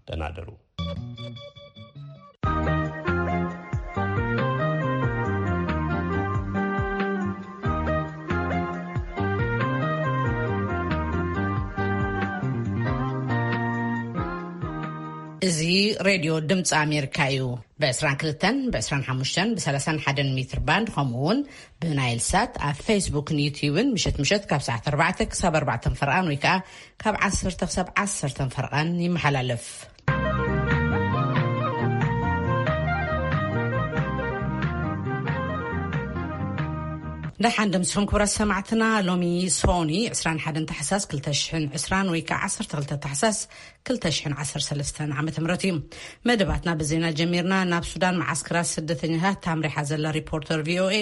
ደህና ደሩ። እዚ ሬድዮ ድምፂ ኣሜሪካ እዩ። ብ22፣ ብ25፣ ብ31 ሜትር ባንድ፣ ከምኡ እውን ብናይል ሳት ኣብ ፌስቡክን ዩትዩብን ምሸት ምሸት ካብ ሰዓት ኣርባዕተ ክሳብ ኣርባዕተ ፈርቓን ወይ ከዓ ካብ ዓሰርተ ክሳብ ዓሰርተ ፈርቓን ይመሓላለፍ። ደሓን ደምስኹም ክቡራት ሰማዕትና። ሎሚ ሶኒ ዕስራን ሓደን ታሕሳስ ክልተ ሽሕን ዕስራን ወይ ከዓ ዓሰርተ ክልተ ታሕሳስ ክልተ ሽሕን ዓሰርተ ሰለስተን ዓመተ ምህረት እዩ። መደባትና ብዜና ጀሚርና። ናብ ሱዳን መዓስከራት ስደተኛታት ታምሪሓ ዘላ ሪፖርተር ቪኦኤ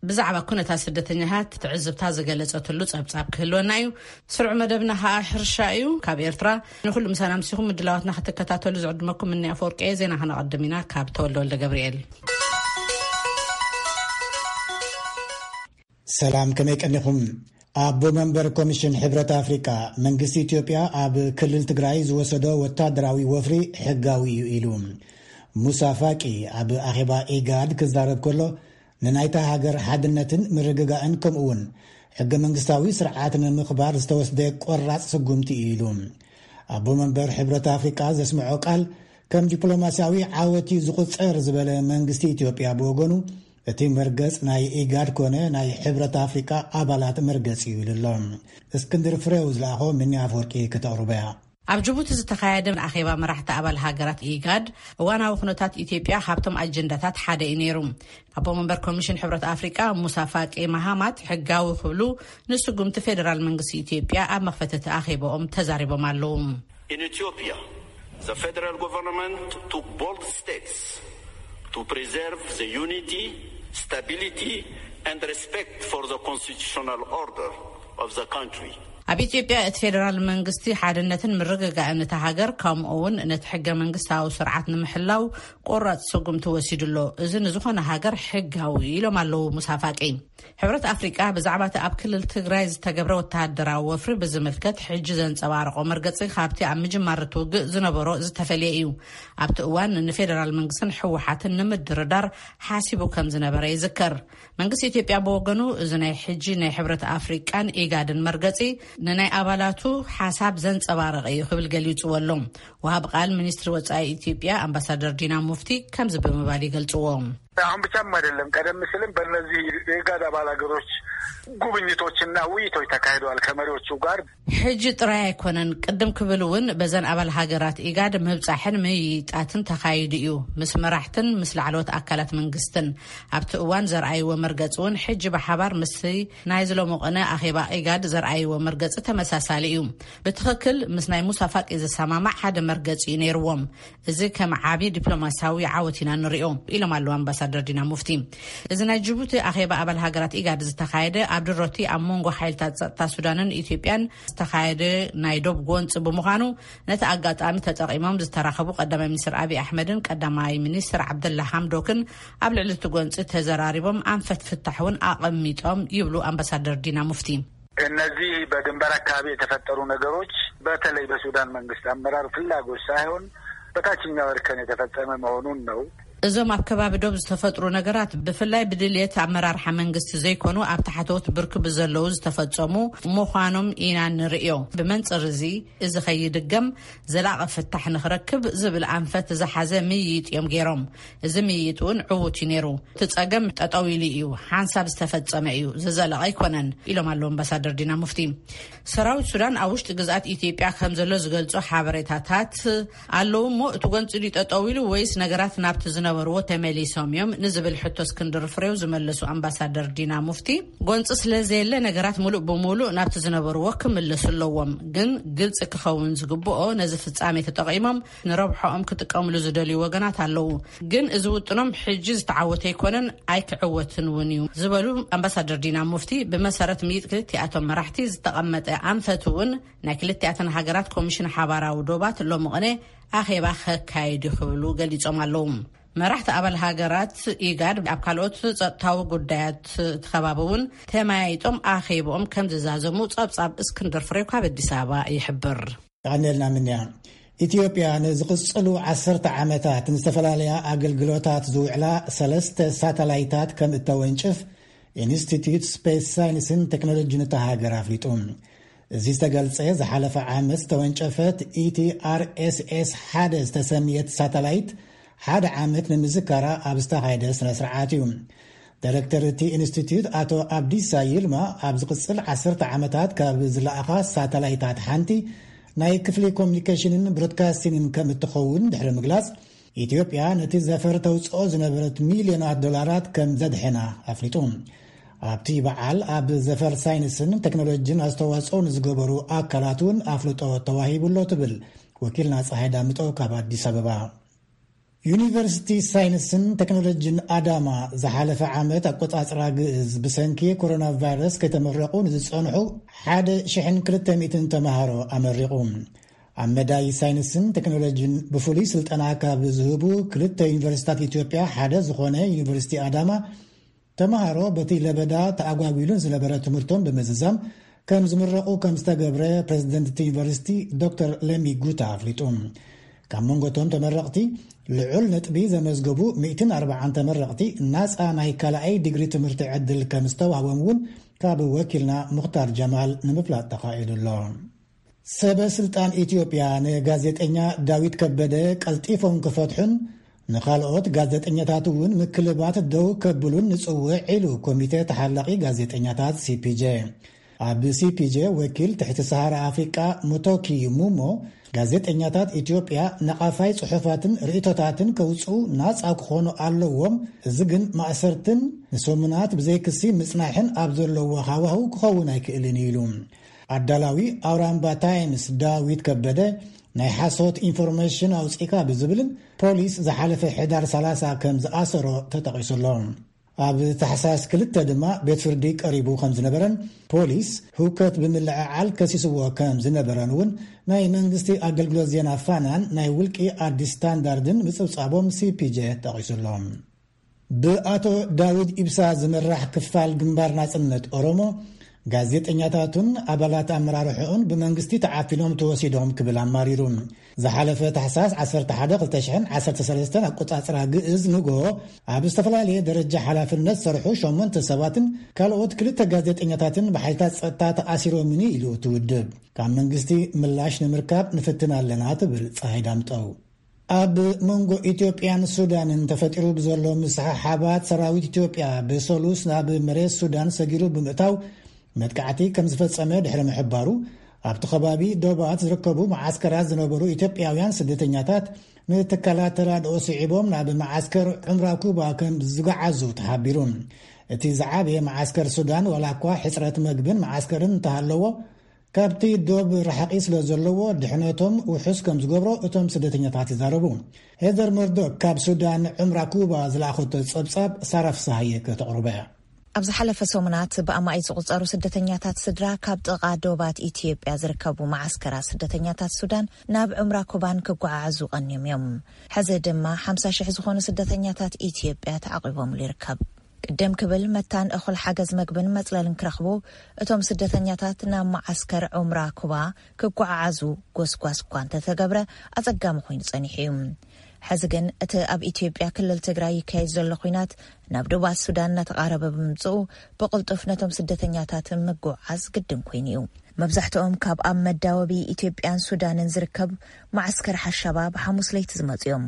ብዛዕባ ኩነታት ስደተኛታት ትዕዝብታ ዝገለጸትሉ ጸብጻብ ክህልወና እዩ። ስሩዕ መደብና ከዓ ሕርሻ እዩ። ካብ ኤርትራ ንኹሉ ምሳና ምሲኹም ምድላዋትና ክትከታተሉ ዝዕድመኩም እኒ ኣፈወርቂ። ዜና ከነቐድም ኢና ካብ ተወልደ ወልደ ገብርኤል። ሰላም፣ ከመይ ቀኒኹም? ኣቦ መንበር ኮሚሽን ሕብረት ኣፍሪቃ፣ መንግስቲ ኢትዮጵያ ኣብ ክልል ትግራይ ዝወሰዶ ወታደራዊ ወፍሪ ሕጋዊ እዩ ኢሉ። ሙሳ ፋቂ ኣብ ኣኼባ ኢጋድ ክዛረብ ከሎ፣ ንናይታ ሃገር ሓድነትን ምርግጋእን ከምኡ እውን ሕገ መንግስታዊ ስርዓት ንምኽባር ዝተወስደ ቆራጽ ስጉምቲ እዩ ኢሉ። ኣቦ መንበር ሕብረት ኣፍሪቃ ዘስምዖ ቃል ከም ዲፕሎማሲያዊ ዓወት እዩ ዝቑጸር ዝበለ መንግስቲ ኢትዮጵያ ብወገኑ፣ እቲ መርገጽ ናይ ኢጋድ ኮነ ናይ ሕብረት ኣፍሪቃ ኣባላት መርገጽ እዩ ኢሉ ኣሎ። እስክንድር ፍሬው ዝለኣኾ ምኒ ኣፈወርቂ ከተቕርቦ እያ። ኣብ ጅቡቲ ዝተኻየደ ኣኼባ መራሕቲ ኣባል ሃገራት ኢጋድ፣ እዋናዊ ኩነታት ኢትዮጵያ ካብቶም ኣጀንዳታት ሓደ እዩ ነይሩ። ኣቦ መንበር ኮሚሽን ሕብረት ኣፍሪቃ ሙሳ ፋቂ ማሃማት ሕጋዊ ክብሉ ንስጉምቲ ፌዴራል መንግስቲ ኢትዮጵያ ኣብ መኽፈቲ እቲ ኣኼባኦም ተዛሪቦም ኣለዉ። In Ethiopia, the federal government took bold steps to preserve the unity, stability, and respect for the constitutional order of the country. ኣብ ኢትዮጵያ እቲ ፌዴራል መንግስቲ ሓድነትን ምርግጋእን እታ ሃገር ከምኡ እውን ነቲ ሕገ መንግስታዊ ስርዓት ንምሕላው ቆራጽ ስጉምቲ ወሲዱ ኣሎ። እዚ ንዝኾነ ሃገር ሕጋዊ እዩ ኢሎም ኣለዉ ሙሳ ፋቂ። ሕብረት ኣፍሪቃ ብዛዕባ እቲ ኣብ ክልል ትግራይ ዝተገብረ ወተሃደራዊ ወፍሪ ብዝምልከት ሕጂ ዘንጸባረቖ መርገጺ ካብቲ ኣብ ምጅማር እቲ ውግእ ዝነበሮ ዝተፈልየ እዩ። ኣብቲ እዋን ንፌዴራል መንግስትን ህወሓትን ንምድርዳር ሓሲቡ ከም ዝነበረ ይዝከር። መንግስቲ ኢትዮጵያ ብወገኑ፣ እዚ ናይ ሕጂ ናይ ሕብረት ኣፍሪቃን ኢጋድን መርገጺ ንናይ ኣባላቱ ሓሳብ ዘንጸባረቐ እዩ ክብል ገሊጽዎ ኣሎ። ወሃብ ቃል ሚኒስትሪ ወጻኢ ኢትዮጵያ ኣምባሳደር ዲና ሙፍቲ ከምዚ ብምባል ይገልጽዎ። አሁን ብቻም አይደለም፣ ቀደም ሲልም በእነዚህ የኢጋድ አባል ሀገሮች ጉብኝቶችና ውይይቶች ተካሂደዋል ከመሪዎቹ ጋር። ሕጂ ጥራይ ኣይኮነን፣ ቅድም ክብል እውን በዘን ኣባል ሃገራት ኢጋድ ምብጻሕን ምይይጣትን ተኻይዱ እዩ፣ ምስ መራሕትን ምስ ላዕለዎት ኣካላት መንግስትን። ኣብቲ እዋን ዘርኣይዎ መርገጽ እውን ሕጂ ብሓባር ምስቲ ናይ ዝሎሚ ቅነ ኣኼባ ኢጋድ ዘርኣይዎ መርገጽ ተመሳሳሊ እዩ። ብትኽክል ምስ ናይ ሙሳ ፋቂ ዝሰማማዕ ሓደ መርገጽ እዩ ነይርዎም። እዚ ከም ዓቢ ዲፕሎማሲያዊ ዓወት ኢና ንሪኦ ኢሎም ኣለዉ ኣምባሳደር ዲና ሙፍቲ። እዚ ናይ ጅቡቲ ኣኼባ ኣባል ሃገራት ኢጋድ ዝተኻየደ ኣብ ድሮቲ ኣብ መንጎ ሓይልታት ጸጥታ ሱዳንን ኢትዮጵያን ዝተኻየደ ናይ ዶብ ጎንጺ ብምዃኑ፣ ነቲ ኣጋጣሚ ተጠቒሞም ዝተራኸቡ ቀዳማይ ሚኒስትር ኣብይ ኣሕመድን ቀዳማይ ሚኒስትር ዓብደላ ሓምዶክን ኣብ ልዕሊ እቲ ጎንጺ ተዘራሪቦም ኣንፈት ፍታሕ እውን ኣቐሚጦም ይብሉ ኣምባሳደር ዲና ሙፍቲ። እነዚህ በድንበር አካባቢ የተፈጠሩ ነገሮች በተለይ በሱዳን መንግስት አመራር ፍላጎት ሳይሆን በታችኛው እርከን የተፈጸመ መሆኑን ነው። እዞም ኣብ ከባቢ ዶብ ዝተፈጥሩ ነገራት ብፍላይ ብድልየት ኣመራርሓ መንግስቲ ዘይኮኑ ኣብ ታሕተዎት ብርኪ ብዘለዉ ዝተፈጸሙ ምዃኖም ኢና ንርእዮ። ብመንጽር እዚ፣ እዚ ከይድገም ዘላቒ ፍታሕ ንኽረክብ ዝብል ኣንፈት ዝሓዘ ምይይጥ እዮም ገይሮም። እዚ ምይይጥ እውን ዕዉት እዩ ነይሩ። እቲ ጸገም ጠጠው ኢሉ እዩ፣ ሓንሳብ ዝተፈጸመ እዩ፣ ዝዘለቐ ኣይኮነን ኢሎም ኣለዉ ኣምባሳደር ዲና ሙፍቲ። ሰራዊት ሱዳን ኣብ ውሽጢ ግዝኣት ኢትዮጵያ ከም ዘሎ ዝገልጹ ሓበሬታታት ኣለዉ እሞ፣ እቲ ጎንጺ ድዩ ጠጠው ኢሉ ወይስ ነገራት ናብቲ ዝነበርዎ ተመሊሶም እዮም ንዝብል ሕቶ እስክንድር ፍሬው ዝመለሱ ኣምባሳደር ዲና ሙፍቲ፣ ጎንጺ ስለ ዘየለ ነገራት ሙሉእ ብሙሉእ ናብቲ ዝነበርዎ ክምለሱ ኣለዎም፣ ግን ግልጺ ክኸውን ዝግብኦ ነዚ ፍጻሜ ተጠቒሞም ንረብሖኦም ክጥቀምሉ ዝደልዩ ወገናት ኣለዉ። ግን እዚ ውጥኖም ሕጂ ዝተዓወተ ኣይኮነን፣ ኣይክዕወትን እውን እዩ ዝበሉ ኣምባሳደር ዲና ሙፍቲ፣ ብመሰረት ምይጥ ክልቲኣቶም መራሕቲ ዝተቐመጠ ኣንፈት እውን ናይ ክልቲኣተን ሃገራት ኮሚሽን ሓባራዊ ዶባት ሎሚ ቅነ ኣኼባ ከካይድ ክብሉ ገሊጾም ኣለዉ። መራሕቲ ኣባል ሃገራት ኢጋድ ኣብ ካልኦት ጸጥታዊ ጉዳያት እቲ ከባቢ እውን ተመያይጦም ኣኼብኦም ከም ዝዛዘሙ ጸብጻብ እስክንድር ፍሬው ካብ ኣዲስ ኣበባ ይሕብር። የቐንየልና ምንያ። ኢትዮጵያ ንዝቕጽሉ ዓሰርተ ዓመታት ንዝተፈላለያ ኣገልግሎታት ዝውዕላ ሰለስተ ሳተላይታት ከም እተወንጭፍ ኢንስቲትዩት ስፔስ ሳይንስን ቴክኖሎጂን እታ ሃገር ኣፍሊጡ። እዚ ዝተገልጸ ዝሓለፈ ዓመት ዝተወንጨፈት ኢቲ ኣር ኤስ ኤስ ሓደ ዝተሰምየት ሳተላይት ሓደ ዓመት ንምዝካራ ኣብ ዝተኻየደ ስነ ስርዓት እዩ። ዳይሬክተር እቲ ኢንስቲትዩት ኣቶ ኣብዲሳ ይልማ ኣብ ዝቕጽል ዓሰርተ ዓመታት ካብ ዝለኣኻ ሳተላይታት ሓንቲ ናይ ክፍሊ ኮሚኒኬሽንን ብሮድካስቲንግን ከም እትኸውን ድሕሪ ምግላጽ፣ ኢትዮጵያ ነቲ ዘፈር ተውፅኦ ዝነበረት ሚልዮናት ዶላራት ከም ዘድሕና ኣፍሊጡ። ኣብቲ በዓል ኣብ ዘፈር ሳይንስን ቴክኖሎጂን ኣስተዋፅኦ ንዝገበሩ ኣካላት እውን ኣፍልጦ ተዋሂቡሎ ትብል ወኪልና ፀሃይ ዳምጠው ካብ ኣዲስ ኣበባ። ዩኒቨርሲቲ ሳይንስን ቴክኖሎጂን ኣዳማ ዝሓለፈ ዓመት ኣቆጻጽራ ግእዝ ብሰንኪ ኮሮና ቫይረስ ከይተመረቑ ንዝጸንሑ ሓደ ሽሕን ክልተ ሚእትን ተምሃሮ ኣመሪቑ። ኣብ መዳይ ሳይንስን ቴክኖሎጂን ብፍሉይ ስልጠና ካብ ዝህቡ ክልተ ዩኒቨርሲታት ኢትዮጵያ ሓደ ዝኾነ ዩኒቨርሲቲ ኣዳማ፣ ተምሃሮ በቲ ለበዳ ተኣጓጒሉን ዝነበረ ትምህርቶም ብምዝዛም ከም ዝምረቑ ከም ዝተገብረ ፕሬዚደንት እቲ ዩኒቨርሲቲ ዶክተር ለሚ ጉታ ኣፍሊጡ። ካብ መንጎቶም ተመረቕቲ ልዑል ነጥቢ ዘመዝገቡ ሚእትን ኣርባዓን ተመረቕቲ ናፃ ናይ ካልኣይ ዲግሪ ትምህርቲ ዕድል ከም ዝተዋህቦም እውን ካብ ወኪልና ሙኽታር ጀማል ንምፍላጥ ተኻኢሉ ኣሎ። ሰበ ስልጣን ኢትዮጵያ ንጋዜጠኛ ዳዊት ከበደ ቀልጢፎም ክፈትሑን ንኻልኦት ጋዜጠኛታት እውን ምክልባት ደው ከብሉን ንጽውዕ ኢሉ ኮሚቴ ተሓላቒ ጋዜጠኛታት ሲፒጄ። ኣብ ሲፒጄ ወኪል ትሕቲ ሰሃራ ኣፍሪቃ ሙቶኪ ሙሞ፣ ጋዜጠኛታት ኢትዮጵያ ነቓፋይ ጽሑፋትን ርእይቶታትን ከውጽኡ ናጻ ክኾኑ ኣለዎም፣ እዚ ግን ማእሰርትን ንሰሙናት ብዘይክሲ ምጽናሕን ኣብ ዘለዎ ሃዋህው ክኸውን ኣይክእልን ኢሉ። ኣዳላዊ ኣውራምባ ታይምስ ዳዊት ከበደ ናይ ሓሶት ኢንፎርሜሽን ኣውጺእካ ብዝብልን ፖሊስ ዝሓለፈ ሕዳር ሰላሳ ከም ዝኣሰሮ ተጠቒሱ ኣሎ። ኣብ ታሕሳስ ክልተ ድማ ቤት ፍርዲ ቀሪቡ ከም ዝነበረን ፖሊስ ህውከት ብምልዕዓል ከሲስዎ ከም ዝነበረን እውን ናይ መንግስቲ ኣገልግሎት ዜና ፋናን ናይ ውልቂ ኣዲስ ስታንዳርድን ምጽብጻቦም ሲፒጄ ጠቒሱ ኣሎ። ብኣቶ ዳዊት ኢብሳ ዝምራሕ ክፋል ግንባር ናጽነት ኦሮሞ፣ ጋዜጠኛታቱን ኣባላት ኣመራርሕኡን ብመንግስቲ ተዓፊኖም ተወሲዶም ክብል ኣማሪሩ። ዝሓለፈ ታሕሳስ ዓሰርተ ሓደ ክልተ ሽሕን ዓሰርተ ሰለስተን ኣቆጻጽራ ግእዝ ንግሆ፣ ኣብ ዝተፈላለየ ደረጃ ሓላፍነት ዝሰርሑ ሸሞንተ ሰባትን ካልኦት ክልተ ጋዜጠኛታትን ብሓይልታት ጸጥታ ተኣሲሮምኒ ኢሉ እቲ ውድብ። ካብ መንግስቲ ምላሽ ንምርካብ ንፍትን ኣለና ትብል ጸሃይ ዳምጠው። ኣብ መንጎ ኢትዮጵያን ሱዳንን ተፈጢሩ ብዘሎ ምስሕሓባት ሰራዊት ኢትዮጵያ ብሰሉስ ናብ መሬት ሱዳን ሰጊሩ ብምእታው መጥቃዕቲ ከም ዝፈጸመ ድሕሪ ምሕባሩ፣ ኣብቲ ከባቢ ዶባት ዝርከቡ መዓስከራት ዝነበሩ ኢትዮጵያውያን ስደተኛታት ንትካላት ተራድኦ ስዒቦም ናብ መዓስከር ዑምራ ኩባ ከም ዝገዓዙ ተሓቢሩ። እቲ ዝዓበየ መዓስከር ሱዳን ዋላ እኳ ሕጽረት መግብን መዓስከርን እንተሃለዎ፣ ካብቲ ዶብ ርሓቒ ስለ ዘለዎ ድሕነቶም ውሑስ ከም ዝገብሮ እቶም ስደተኛታት ይዛረቡ። ሄዘር መርዶክ ካብ ሱዳን ዑምራ ኩባ ዝለኣኸቶ ጸብጻብ ሳራ ፍስሃየ ከተቕርቦ እያ። ኣብ ዝሓለፈ ሰሙናት ብኣማኢት ዝቑጸሩ ስደተኛታት ስድራ ካብ ጥቓ ዶባት ኢትዮጵያ ዝርከቡ መዓስከራት ስደተኛታት ሱዳን ናብ ዑምራ ኩባን ክጓዓዓዙ ቀንዮም እዮም። ሕዚ ድማ ሓምሳ ሽሕ ዝኾኑ ስደተኛታት ኢትዮጵያ ተዓቒቦምሉ ይርከብ። ቅድም ክብል መታን እኹል ሓገዝ መግብን መጽለልን ክረኽቡ እቶም ስደተኛታት ናብ መዓስከር ዑምራ ኩባ ክጓዓዓዙ ጎስጓስ እኳ እንተተገብረ ኣጸጋሚ ኮይኑ ጸኒሑ እዩ። ሕዚ ግን እቲ ኣብ ኢትዮጵያ ክልል ትግራይ ይካየድ ዘሎ ኲናት ናብ ዶባት ሱዳን እናተቓረበ ብምምጽኡ ብቕልጡፍ ነቶም ስደተኛታት ምጉዕዓዝ ግድን ኮይኑ እዩ። መብዛሕትኦም ካብ ኣብ መዳወቢ ኢትዮጵያን ሱዳንን ዝርከብ መዓስከር ሓሻባ ብሓሙስ ለይቲ ዝመጹ እዮም።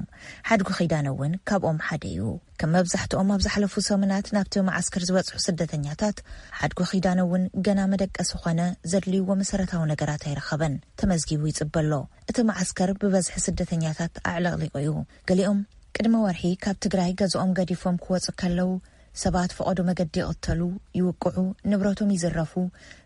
ሓድጉ ኪዳነ እውን ካብኦም ሓደ እዩ። ከም መብዛሕትኦም ኣብ ዝሓለፉ ሰሙናት ናብቲ መዓስከር ዝበጽሑ ስደተኛታት፣ ሓድጉ ኪዳነ እውን ገና መደቀሲ ኾነ ዘድልይዎ መሰረታዊ ነገራት ኣይረኸበን። ተመዝጊቡ ይጽበ ኣሎ። እቲ መዓስከር ብበዝሒ ስደተኛታት ኣዕለቕሊቑ እዩ። ገሊኦም ቅድሚ ወርሒ ካብ ትግራይ ገዝኦም ገዲፎም ክወጹ ከለዉ፣ ሰባት ፈቐዶ መገዲ ይቕተሉ፣ ይውቅዑ፣ ንብረቶም ይዝረፉ፣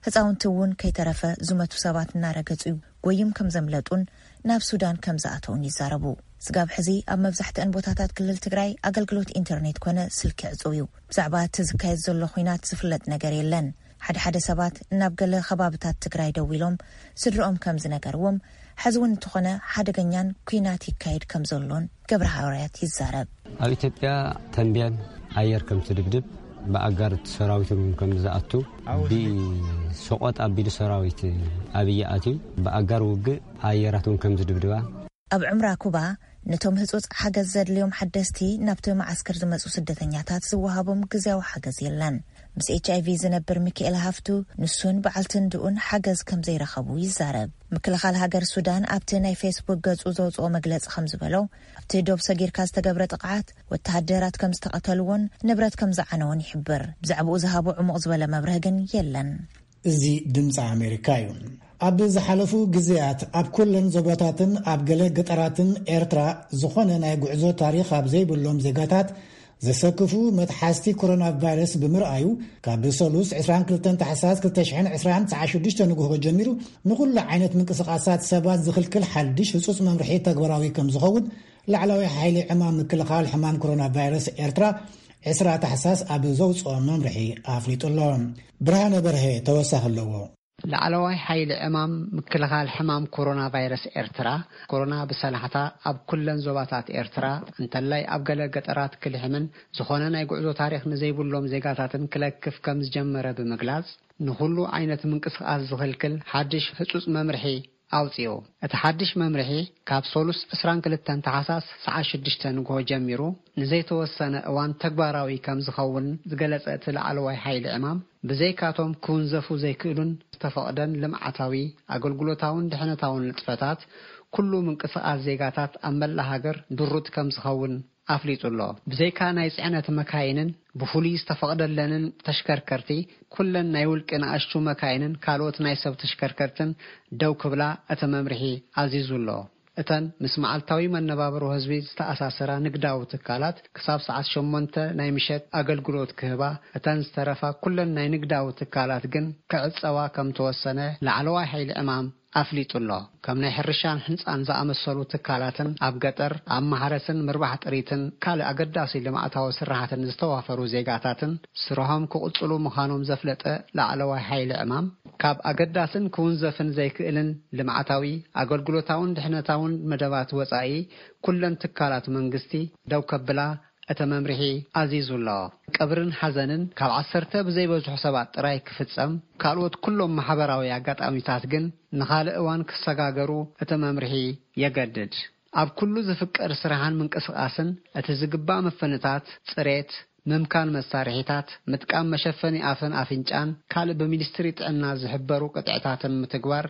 ህፃውንቲ እውን ከይተረፈ ዝመቱ ሰባት እናረገጹ ጎይም ከም ዘምለጡን ናብ ሱዳን ከም ዝኣተውን ይዛረቡ። ስጋብ ሕዚ ኣብ መብዛሕትአን ቦታታት ክልል ትግራይ ኣገልግሎት ኢንተርኔት ኮነ ስልኪ ዕጹው እዩ። ብዛዕባ እቲ ዝካየድ ዘሎ ኹናት ዝፍለጥ ነገር የለን። ሓደ ሓደ ሰባት ናብ ገለ ከባብታት ትግራይ ደዊሎም ስድርኦም ከም ዝነገርዎም፣ ሕዚ እውን እንተኾነ ሓደገኛን ኲናት ይካየድ ከም ዘሎን ገብረ ሃዋርያት ይዛረብ። ኣብ ኢትዮጵያ ተንቤን ኣየር ከም ትድብድብ፣ ብኣጋር ሰራዊት እውን ከም ዝኣቱ፣ ብሸቖጥ ኣቢሉ ሰራዊት ኣብይ ኣትዩ፣ ብኣጋር ውግእ ኣየራት እውን ከም ዝድብድባ። ኣብ ዑምራ ኩባ፣ ነቶም ህጹጽ ሓገዝ ዘድልዮም ሓደስቲ ናብቲ መዓስከር ዝመጹ ስደተኛታት ዝወሃቦም ግዝያዊ ሓገዝ የለን። ምስ ኤች ኣይ ቪ ዝነብር ሚካኤል ሃፍቱ፣ ንሱን በዓልቲ እንድኡን ሓገዝ ከም ዘይረኸቡ ይዛረብ። ምክልኻል ሃገር ሱዳን ኣብቲ ናይ ፌስቡክ ገጹ ዘውጽኦ መግለጺ ከም ዝበሎ፣ ኣብቲ ዶብ ሰጊርካ ዝተገብረ ጥቕዓት ወተሃደራት ከም ዝተቐተልዎን ንብረት ከም ዝዓነውን ይሕብር። ብዛዕባኡ ዝሃቦ ዕሙቕ ዝበለ መብርሂ ግን የለን። እዚ ድምፂ ኣሜሪካ እዩ። ኣብ ዝሓለፉ ግዜያት ኣብ ኩለን ዞባታትን ኣብ ገለ ገጠራትን ኤርትራ ዝኾነ ናይ ጉዕዞ ታሪኽ ኣብ ዘይብሎም ዜጋታት ዘሰክፉ መትሓዝቲ ኮሮና ቫይረስ ብምርኣዩ፣ ካብ ሰሉስ ዕስራን ክልተን ታሕሳስ ክልተ ሽሕን ዕስራን ሰዓት ሽዱሽተ ንግሆ ጀሚሩ ንኹሉ ዓይነት ምንቅስቓሳት ሰባት ዝኽልክል ሓድሽ ህጹጽ መምርሒ ተግባራዊ ከም ዝኸውን ላዕለዋይ ሓይሊ ዕማም ምክልኻል ሕማም ኮሮና ቫይረስ ኤርትራ ዕስራ ታሕሳስ ኣብ ዘውፅኦ መምርሒ ኣፍሊጡ ኣሎ። ብርሃነ በርሀ ተወሳኺ ኣለዎ። ላዕለዋይ ሓይሊ ዕማም ምክልኻል ሕማም ኮሮና ቫይረስ ኤርትራ፣ ኮሮና ብሰላሕታ ኣብ ኩለን ዞባታት ኤርትራ፣ እንተላይ ኣብ ገለ ገጠራት ክልሕምን ዝኾነ ናይ ጉዕዞ ታሪኽ ንዘይብሎም ዜጋታትን ክለክፍ ከም ዝጀመረ ብምግላጽ፣ ንኹሉ ዓይነት ምንቅስቓስ ዝኽልክል ሓድሽ ህጹጽ መምርሒ ኣውጺኡ። እቲ ሓድሽ መምርሒ ካብ ሰሉስ ዕስራን ክልተን ታሕሳስ ሰዓት ሽዱሽተ ንግሆ ጀሚሩ ንዘይተወሰነ እዋን ተግባራዊ ከም ዝኸውን ዝገለጸ እቲ ላዕለዋይ ሓይሊ ዕማም፣ ብዘይካቶም ክውንዘፉ ዘይክእሉን ዝተፈቕደን ልምዓታዊ፣ ኣገልግሎታውን ድሕነታውን ንጥፈታት፣ ኩሉ ምንቅስቓስ ዜጋታት ኣብ መላእ ሃገር ድሩት ከም ዝኸውን ኣፍሊጡ ኣሎ። ብዘይካ ናይ ጽዕነት መካይንን ብፍሉይ ዝተፈቕደለንን ተሽከርከርቲ፣ ኩለን ናይ ውልቂ ንኣሽቱ መካይንን ካልኦት ናይ ሰብ ተሽከርከርትን ደው ክብላ እቲ መምርሒ ኣዚዙ ኣሎ። እተን ምስ መዓልታዊ መነባብሮ ህዝቢ ዝተኣሳሰራ ንግዳዊ ትካላት ክሳብ ሰዓት ሸሞንተ ናይ ምሸት ኣገልግሎት ክህባ፣ እተን ዝተረፋ ኩለን ናይ ንግዳዊ ትካላት ግን ክዕጸዋ ከም ተወሰነ ላዕለዋይ ሓይሊ ዕማም ኣፍሊጡ ኣሎ። ከም ናይ ሕርሻን ህንጻን ዝኣመሰሉ ትካላትን ኣብ ገጠር ኣብ ማሕረስን ምርባሕ ጥሪትን ካልእ ኣገዳሲ ልምዓታዊ ስራሓትን ዝተዋፈሩ ዜጋታትን ስርሖም ክቕጽሉ ምዃኖም ዘፍለጠ ላዕለዋይ ሓይሊ ዕማም፣ ካብ ኣገዳስን ክውንዘፍን ዘይክእልን ልምዓታዊ፣ ኣገልግሎታውን ድሕነታውን መደባት ወጻኢ ኩለን ትካላት መንግስቲ ደው ከብላ እቲ መምርሒ ኣዚዙ ኣሎ። ቀብርን ሓዘንን ካብ ዓሰርተ ብዘይበዝሑ ሰባት ጥራይ ክፍጸም፣ ካልኦት ኩሎም ማሕበራዊ ኣጋጣሚታት ግን ንኻልእ እዋን ክሰጋገሩ እቲ መምርሒ የገድድ። ኣብ ኩሉ ዝፍቀድ ስራሕን ምንቅስቓስን እቲ ዝግባእ ምፍንታት፣ ጽሬት፣ ምምካን መሳርሒታት፣ ምጥቃም መሸፈኒ ኣፍን ኣፍንጫን ካልእ ብሚኒስትሪ ጥዕና ዝሕበሩ ቅጥዕታትን ምትግባር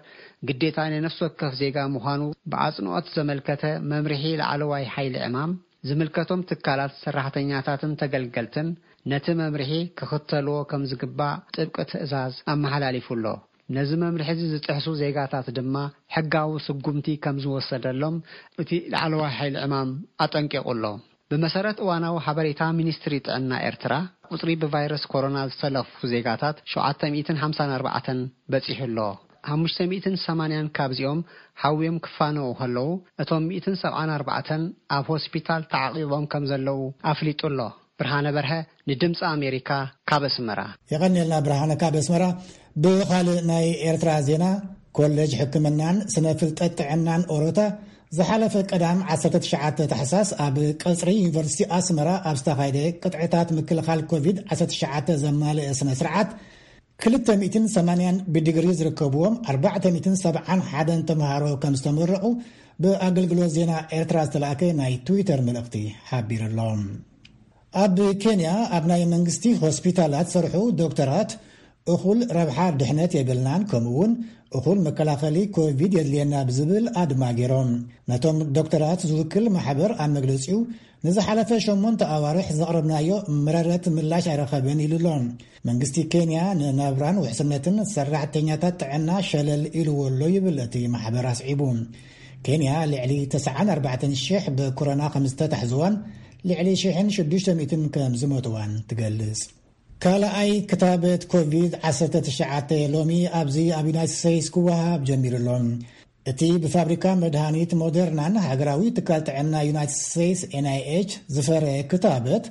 ግዴታ ናይ ነፍሲ ወከፍ ዜጋ ምዃኑ ብኣጽንኦት ዘመልከተ መምርሒ ላዕለዋይ ሓይሊ ዕማም፣ ዝምልከቶም ትካላት ሰራሕተኛታትን ተገልገልትን ነቲ መምርሒ ክኽተልዎ ከም ዝግባእ ጥብቂ ትእዛዝ ኣመሓላሊፉ ኣሎ። ነዚ መምርሒ እዚ ዝጥሕሱ ዜጋታት ድማ ሕጋዊ ስጉምቲ ከም ዝወሰደሎም እቲ ላዕለዋይ ሓይሊ ዕማም ኣጠንቂቑ ኣሎ። ብመሰረት እዋናዊ ሓበሬታ ሚኒስትሪ ጥዕና ኤርትራ፣ ቁጽሪ ብቫይረስ ኮሮና ዝተለኽፉ ዜጋታት ሸውዓተ ሚእትን ሓምሳን ኣርባዕተን በጺሑ ኣሎ። ሓሙሽተ ሚእትን ሰማንያን ካብዚኦም ሓውዮም ክፋነዉ ከለዉ፣ እቶም ሚእትን ሰብዓን ኣርባዕተን ኣብ ሆስፒታል ተዓቒቦም ከም ዘለዉ ኣፍሊጡ ኣሎ። ብርሃነ በርሀ ንድምፂ ኣሜሪካ ካብ ኣስመራ። የቐንየልና ብርሃነ ካብ ኣስመራ። ብኻልእ ናይ ኤርትራ ዜና፣ ኮሌጅ ሕክምናን ስነ ፍልጠት ጥዕናን ኦሮታ ዝሓለፈ ቀዳም ዓሰርተ ትሽዓተ ታሕሳስ ኣብ ቀጽሪ ዩኒቨርሲቲ ኣስመራ ኣብ ዝተኻየደ ቅጥዕታት ምክልኻል ኮቪድ ዓሰርተ ትሽዓተ ዘማልአ ስነ ስርዓት፣ ክልተ ሚእትን ሰማንያን ብዲግሪ ዝርከብዎም ኣርባዕተ ሚእትን ሰብዓን ሓደን ተምሃሮ ከም ዝተመረቑ ብኣገልግሎት ዜና ኤርትራ ዝተላእከ ናይ ትዊተር መልእኽቲ ሓቢሩ ኣሎ። ኣብ ኬንያ ኣብ ናይ መንግስቲ ሆስፒታላት ዝሰርሑ ዶክተራት እኹል ረብሓ ድሕነት የብልናን፣ ከምኡ እውን እኹል መከላኸሊ ኮቪድ የድልየና ብዝብል ኣድማ ገይሮም። ነቶም ዶክተራት ዝውክል ማሕበር ኣብ መግለጺኡ፣ ንዝሓለፈ ሸሞንተ ኣዋርሕ ዘቕረብናዮ መረረት ምላሽ ኣይረኸበን ኢሉ ኣሎ። መንግስቲ ኬንያ ንናብራን ውሕስነትን ሰራሕተኛታት ጥዕና ሸለል ኢልዎ ኣሎ ይብል እቲ ማሕበር ኣስዒቡ። ኬንያ ልዕሊ ተስዓን ኣርባዕተን ሽሕ ብኮሮና ከም ዝተታሕዝዋን ልዕሊ ሽሕን ሽዱሽተ ሚእትን ከም ዝሞትዋን ትገልጽ። ካልኣይ ክታበት ኮቪድ ዓሰርተ ትሽዓተ ሎሚ ኣብዚ ኣብ ዩናይትድ ስቴትስ ክወሃብ ጀሚሩ ኣሎ። እቲ ብፋብሪካ መድሃኒት ሞደርናን ሃገራዊ ትካል ጥዕና ዩናይትድ ስቴትስ ኤን ኣይ ኤች ዝፈረ ክታበት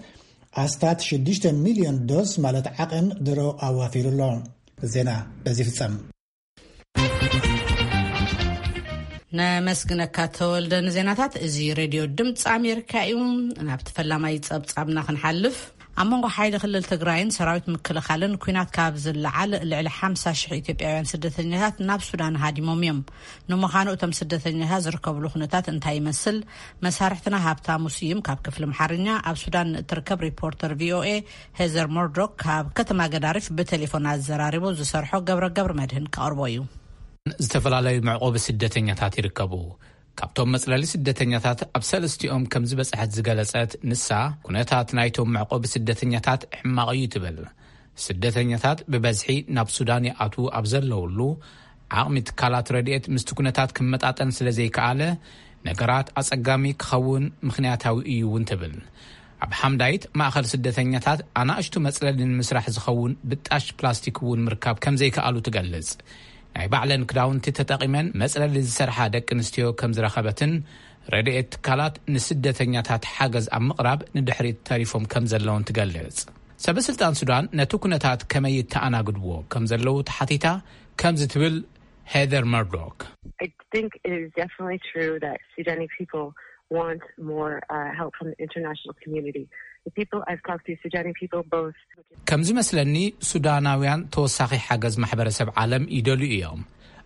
ኣስታት ሽዱሽተ ሚልዮን ዶዝ ማለት ዓቐን ድሮ ኣዋፊሩ ኣሎ። ዜና በዚ ፍጸም። ነመስግነካ ተወልደ ንዜናታት። እዚ ሬድዮ ድምፂ ኣሜሪካ እዩ። ናብቲ ፈላማይ ጸብጻብና ክንሓልፍ። ኣብ መንጎ ሓይሊ ክልል ትግራይን ሰራዊት ምክልኻልን ኲናት ካብ ዝለዓል፣ ልዕሊ ሓምሳ ሽሕ ኢትዮጵያውያን ስደተኛታት ናብ ሱዳን ሃዲሞም እዮም። ንምዃኑ እቶም ስደተኛታት ዝርከብሉ ኩነታት እንታይ ይመስል? መሳርሕትና ሃብታሙ ስዩም ካብ ክፍሊ ኣምሓርኛ ኣብ ሱዳን እትርከብ ሪፖርተር ቪኦኤ ሄዘር ሞርዶክ ካብ ከተማ ገዳሪፍ ብቴሌፎን ኣዘራሪቡ ዝሰርሖ ገብረ ገብረ መድህን ከቕርቦ እዩ። ዝተፈላለዩ መዕቆቢ ስደተኛታት ይርከቡ። ካብቶም መጽለሊ ስደተኛታት ኣብ ሰለስቲኦም ከም ዝበጽሐት ዝገለጸት ንሳ፣ ኩነታት ናይቶም መዕቆቢ ስደተኛታት ሕማቕ እዩ ትብል። ስደተኛታት ብበዝሒ ናብ ሱዳን ይኣትዉ ኣብ ዘለውሉ፣ ዓቕሚ ትካላት ረድኤት ምስቲ ኩነታት ክመጣጠን ስለ ዘይከኣለ፣ ነገራት ኣጸጋሚ ክኸውን ምኽንያታዊ እዩ እውን ትብል። ኣብ ሓምዳይት ማእኸል ስደተኛታት ኣናእሽቱ መጽለሊ ንምስራሕ ዝኸውን ብጣሽ ፕላስቲክ እውን ምርካብ ከም ዘይከኣሉ ትገልጽ። ናይ ባዕለን ክዳውንቲ ተጠቒመን መጽለሊ ዝሰርሓ ደቂ ኣንስትዮ ከም ዝረኸበትን ረድኤት ትካላት ንስደተኛታት ሓገዝ ኣብ ምቕራብ ንድሕሪት ተሪፎም ከም ዘለውን ትገልጽ። ሰበ ስልጣን ሱዳን ነቲ ኩነታት ከመይ ይተኣናግድዎ ከም ዘለዉ ተሓቲታ ከምዚ ትብል ሄዘር መርዶክ። I think it is definitely true that Sudani people want more uh, help from the international community. The people I've talked to, Sudani people, both ከም ዝመስለኒ ሱዳናውያን ተወሳኺ ሓገዝ ማሕበረሰብ ዓለም ይደልዩ እዮም።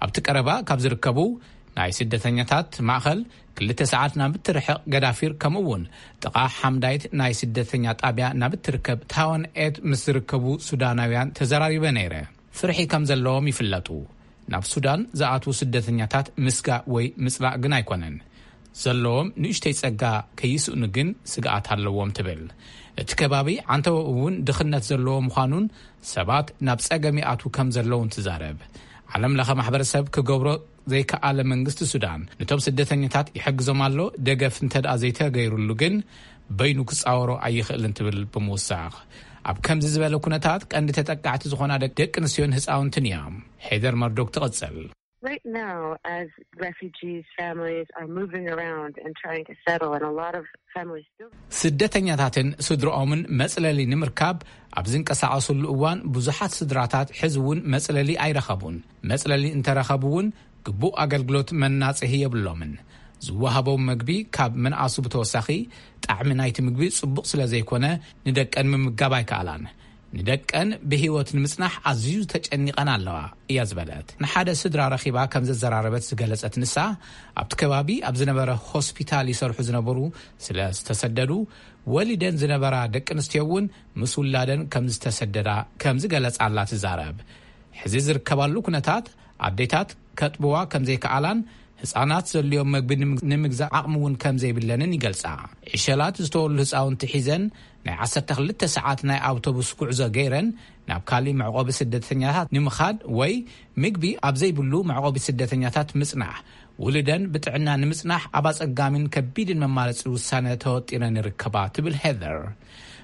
ኣብቲ ቀረባ ካብ ዝርከቡ ናይ ስደተኛታት ማእኸል ክልተ ሰዓት ናብ እትርሕቕ ገዳፊር፣ ከምኡ እውን ጥቓ ሓምዳይት ናይ ስደተኛ ጣብያ ናብ እትርከብ ታወን ኤት ምስ ዝርከቡ ሱዳናውያን ተዘራሪበ ነይረ። ፍርሒ ከም ዘለዎም ይፍለጡ። ናብ ሱዳን ዝኣትዉ ስደተኛታት ምስጋእ ወይ ምጽላእ ግን ኣይኮነን። ዘለዎም ንእሽተይ ጸጋ ከይስእኑ ግን ስግኣት ኣለዎም ትብል። እቲ ከባቢ ዓንተወ እውን ድኽነት ዘለዎ ምዃኑን ሰባት ናብ ጸገም ይኣትዉ ከም ዘለውን ትዛረብ። ዓለም ለኸ ማሕበረሰብ ክገብሮ ዘይከኣለ መንግስቲ ሱዳን ነቶም ስደተኛታት ይሕግዞም ኣሎ። ደገፍ እንተ ደኣ ዘይተገይሩሉ ግን በይኑ ክጻወሮ ኣይኽእልን ትብል ብምውሳኽ፣ ኣብ ከምዚ ዝበለ ኩነታት ቀንዲ ተጠቃዕቲ ዝኾና ደቂ ኣንስትዮን ህፃውንትን እዮም። ሄደር መርዶክ ትቕጽል። Right now, as refugees, families are moving around and trying to settle, and a lot of families still ስደተኛታትን ስድሮኦምን መጽለሊ ንምርካብ ኣብ ዝንቀሳቐሱሉ እዋን ብዙሓት ስድራታት ሕዚ እውን መጽለሊ ኣይረኸቡን። መጽለሊ እንተረኸቡ እውን ግቡእ ኣገልግሎት መናጽሂ የብሎምን። ዝወሃቦም መግቢ ካብ ምንኣሱ ብተወሳኺ ጣዕሚ ናይቲ ምግቢ ጽቡቕ ስለ ዘይኮነ ንደቀን ምምጋብ ኣይከኣላን። ንደቀን ብህይወት ንምጽናሕ ኣዝዩ ተጨኒቐን ኣለዋ እያ ዝበለት። ንሓደ ስድራ ረኺባ ከም ዘዘራረበት ዝገለጸት ንሳ፣ ኣብቲ ከባቢ ኣብ ዝነበረ ሆስፒታል ይሰርሑ ዝነበሩ ስለ ዝተሰደዱ፣ ወሊደን ዝነበራ ደቂ ኣንስትዮ እውን ምስ ውላደን ከም ዝተሰደዳ ከም ዝገለጻላ ትዛረብ። ሕዚ ዝርከባሉ ኩነታት ኣዴታት ከጥብዋ ከም ዘይከኣላን ህጻናት ዘድልዮም መግቢ ንምግ-፣ ንምግዛእ ዓቕሚ እውን ከም ዘይብለንን ይገልጻ። ዕሸላት ዝተወሉ ህጻውንቲ ሒዘን ናይ ዓሰርተ ክልተ ሰዓት ናይ ኣውቶቡስ ጉዕዞ ገይረን ናብ ካሊእ መዕቆቢ ስደተኛታት ንምኻድ ወይ ምግቢ ኣብ ዘይብሉ መዕቆቢ ስደተኛታት ምጽናሕ፣ ውሉደን ብጥዕና ንምጽናሕ ኣብ ኣጸጋሚን ከቢድን መማረጺ ውሳነ ተወጢረን ይርከባ ትብል ሄደር።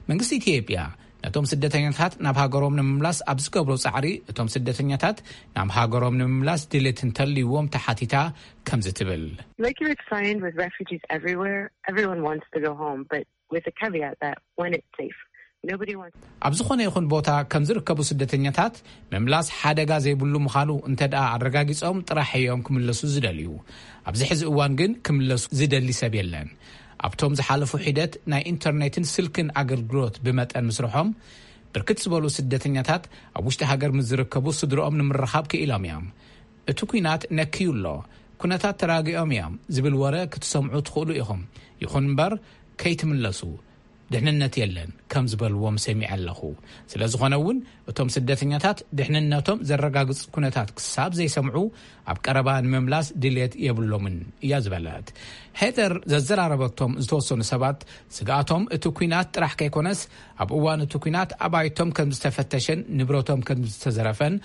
መንግስቲ ኢትዮጵያ ነቶም ስደተኛታት ናብ ሃገሮም ንምምላስ ኣብ ዝገብሮ ጻዕሪ፣ እቶም ስደተኛታት ናብ ሃገሮም ንምምላስ ድሌት እንተልይዎም ተሓቲታ ከምዚ ትብል። Like you would find with refugees everywhere, everyone wants to go home, but with the caveat that when it's safe. Nobody wants ኣብ ዝኾነ ይኹን ቦታ ከም ዝርከቡ ስደተኛታት ምምላስ ሓደጋ ዘይብሉ ምዃኑ እንተ ደኣ ኣረጋጊጾም ጥራሕ እዮም ክምለሱ ዝደልዩ። ኣብዚ ሕዚ እዋን ግን ክምለሱ ዝደሊ ሰብ የለን። ኣብቶም ዝሓለፉ ሒደት ናይ ኢንተርኔትን ስልክን ኣገልግሎት ብመጠን ምስርሖም፣ ብርክት ዝበሉ ስደተኛታት ኣብ ውሽጢ ሃገር ምስ ዝርከቡ ስድሮኦም ንምርኻብ ክኢሎም እዮም። እቲ ኲናት ነክዩ ኣሎ፣ ኩነታት ተራጊኦም እዮም ዝብል ወረ ክትሰምዑ ትኽእሉ ኢኹም። ይኹን እምበር ከይትምለሱ፣ ድሕንነት የለን ከም ዝበልዎም ሰሚዐ ኣለኹ። ስለ ዝኾነ እውን እቶም ስደተኛታት ድሕንነቶም ዘረጋግጽ ኩነታት ክሳብ ዘይሰምዑ ኣብ ቀረባ ንምምላስ ድልየት የብሎምን እያ ዝበለት። ሄደር ዘዘራረበቶም ዝተወሰኑ ሰባት ስግኣቶም እቲ ኲናት ጥራሕ ከይኮነስ ኣብ እዋን እቲ ኲናት ኣባይቶም ከም ዝተፈተሸን ንብረቶም ከም ዝተዘረፈን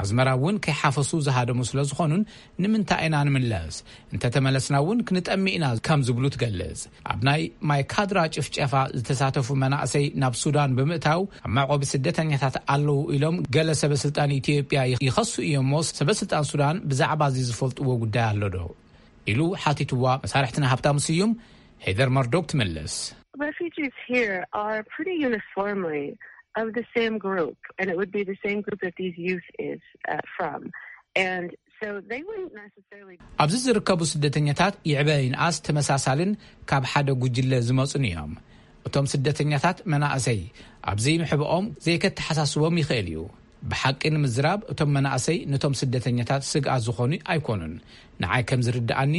ኣዝመራ እውን ከይሓፈሱ ዝሃደሙ ስለ ዝኾኑን ንምንታይ ኢና ንምለስ? እንተተመለስና እውን ክንጠሚ ኢና ከም ዝብሉ ትገልጽ። ኣብ ናይ ማይካድራ ጭፍጨፋ ዝተሳተፉ መናእሰይ ናብ ሱዳን ብምእታው ኣብ መዕቆቢ ስደተኛታት ኣለዉ ኢሎም ገለ ሰበ ስልጣን ኢትዮጵያ ይኸሱ እዮም እሞ ሰበ ስልጣን ሱዳን ብዛዕባ እዚ ዝፈልጥዎ ጉዳይ ኣሎ ዶ? ኢሉ ሓቲትዋ። መሳርሕትና ሃብታሙ ስዩም ሄደር መርዶክ ትምልስ። Refugees here are pretty uniformly of the same group, and it would be the same group that these youth is uh, from. And so they wouldn't necessarily ኣብዚ ዝርከቡ ስደተኛታት ይዕበ ይንኣስ ተመሳሳልን ካብ ሓደ ጉጅለ ዝመጹን እዮም። እቶም ስደተኛታት መናእሰይ ኣብዚ ምሕብኦም ዘይከተሓሳስቦም ይኽእል እዩ። ብሓቂ ንምዝራብ፣ እቶም መናእሰይ ነቶም ስደተኛታት ስግኣት ዝኾኑ ኣይኮኑን። ንዓይ ከም ዝርድኣኒ፣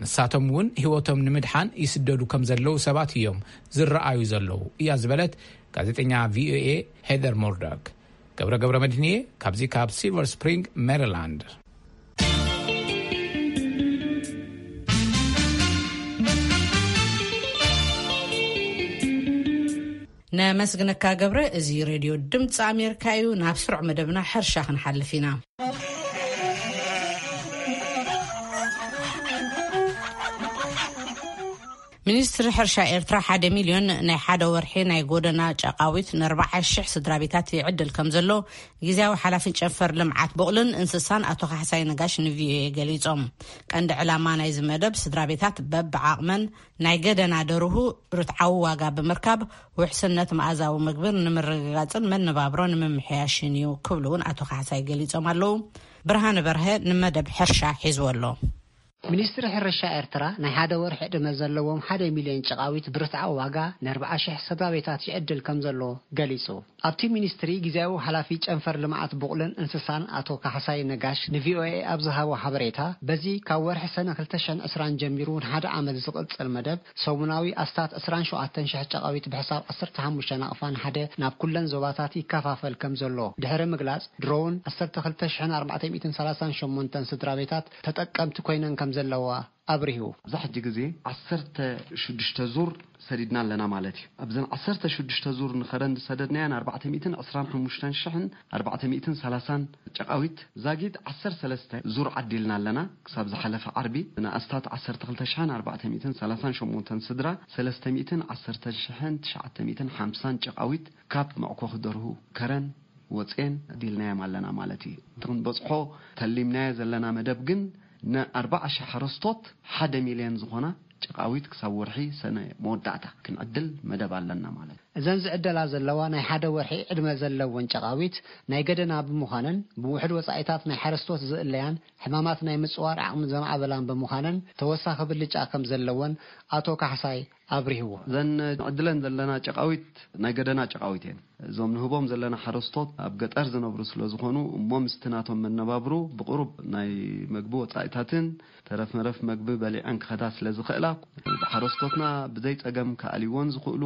ንሳቶም እውን ህይወቶም ንምድሓን ይስደዱ ከም ዘለዉ ሰባት እዮም ዝረኣዩ ዘለዉ፣ እያ ዝበለት ጋዜጠኛ ቪኦኤ ሄደር ሞርዶክ። ገብረ ገብረ መድህንየ፣ ካብዚ ካብ ሲልቨር ስፕሪንግ ሜሪላንድ። ነመስግነካ ገብረ። እዚ ሬድዮ ድምፂ ኣሜሪካ እዩ። ናብ ስሩዕ መደብና ሕርሻ ክንሓልፍ ኢና። ሚኒስትሪ ሕርሻ ኤርትራ ሓደ ሚልዮን ናይ ሓደ ወርሒ ናይ ጎደና ጨቓዊት ንኣርባዓ ሽሕ ስድራ ቤታት ይዕድል ከም ዘሎ ግዜያዊ ሓላፊ ጨንፈር ልምዓት ቡቕልን እንስሳን ኣቶ ካሕሳይ ነጋሽ ንቪኦኤ ገሊጾም። ቀንዲ ዕላማ ናይዚ መደብ ስድራ ቤታት በብዓቕመን ናይ ገደና ደርሁ ርትዓዊ ዋጋ ብምርካብ ውሕስነት መኣዛዊ ምግብን ንምርግጋጽን መነባብሮ ንምምሕያሽን እዩ ክብሉ እውን ኣቶ ካሕሳይ ገሊጾም ኣለዉ። ብርሃነ በርሀ ንመደብ ሕርሻ ሒዝዎ ኣሎ። ሚኒስትሪ ሕርሻ ኤርትራ ናይ ሓደ ወርሒ ዕድመ ዘለዎም ሓደ ሚልዮን ጨቓዊት ብርትዓዊ ዋጋ ንኣርባዓ ሽሕ ስድራ ቤታት ይዕድል ከም ዘሎ ገሊጹ። ኣብቲ ሚኒስትሪ ግዜያዊ ሓላፊ ጨንፈር ልምዓት ቡቕልን እንስሳን ኣቶ ካሕሳይ ነጋሽ ንቪኦኤ ኣብ ዝሃቦ ሓበሬታ፣ በዚ ካብ ወርሒ ሰነ ክልተ ሽሕን ዕስራን ጀሚሩ ንሓደ ዓመት ዝቕጽል መደብ ሰሙናዊ ኣስታት ዕስራን ሸውዓተን ሽሕ ጨቓዊት ብሕሳብ ዓሰርተ ሓሙሽተ ናቕፋ ንሓደ ናብ ኩለን ዞባታት ይከፋፈል ከም ዘሎ ድሕሪ ምግላጽ፣ ድሮውን ዓሰርተ ክልተ ሽሕን ኣርባዕተ ሚእትን ሰላሳን ሸሞንተን ስድራ ቤታት ተጠቀምቲ ኮይነን ከም ዘለዋ ኣብሪሁ። ኣብዚ ሕጂ ግዜ ዓሰርተ ሽዱሽተ ዙር ሰዲድና ኣለና ማለት እዩ። ኣብዘን ዓሰርተ ሽዱሽተ ዙር ንኸረን ዝሰደድናየን ኣርባዕተ ሚእትን ዕስራን ሓሙሽተን ሽሕን ኣርባዕተ ሚእትን ሰላሳን ጨቓዊት ዛጊድ ዓሰርተ ሰለስተ ዙር ዓዲልና ኣለና። ክሳብ ዝሓለፈ ዓርቢ ንኣስታት ዓሰርተ ክልተ ሽሕን ኣርባዕተ ሚእትን ሰላሳን ሸሞንተን ስድራ ሰለስተ ሚእትን ዓሰርተ ሽሕን ትሽዓተ ሚእትን ሓምሳን ጨቓዊት ካብ መዕኮኺ ደርሁ ከረን ወፅኤን ዲልናዮም ኣለና ማለት እዩ። እቲ ክንበፅሖ ተሊምናዮ ዘለና መደብ ግን ንኣርባዓ ሽሕ ሓረስቶት ሓደ ሚልዮን ዝኾና ጨቓዊት ክሳብ ወርሒ ሰነ መወዳእታ ክንዕድል መደብ ኣለና ማለት እዩ። እዘን ዝዕደላ ዘለዋ ናይ ሓደ ወርሒ ዕድመ ዘለወን ጨቓዊት ናይ ገደና ብምዃነን ብውሕድ ወጻኢታት ናይ ሓረስቶት ዝእለያን ሕማማት ናይ ምጽዋር ዓቕሚ ዘማዕበላን ብምዃነን ተወሳኺ ብልጫ ከም ዘለወን ኣቶ ካሕሳይ ኣብሪህዎ። እዘን ንዕድለን ዘለና ጨቓዊት ናይ ገደና ጨቓዊት እየን። እዞም ንህቦም ዘለና ሓረስቶት ኣብ ገጠር ዝነብሩ ስለ ዝኾኑ እሞ ምስቲ ናቶም መነባብሩ ብቕሩብ ናይ መግቢ ወጻኢታትን ተረፍ መረፍ መግቢ በሊዐን ክኸዳ ስለ ዝኽእላ፣ ሓረስቶትና ብዘይ ጸገም ክኣልይዎን ዝኽእሉ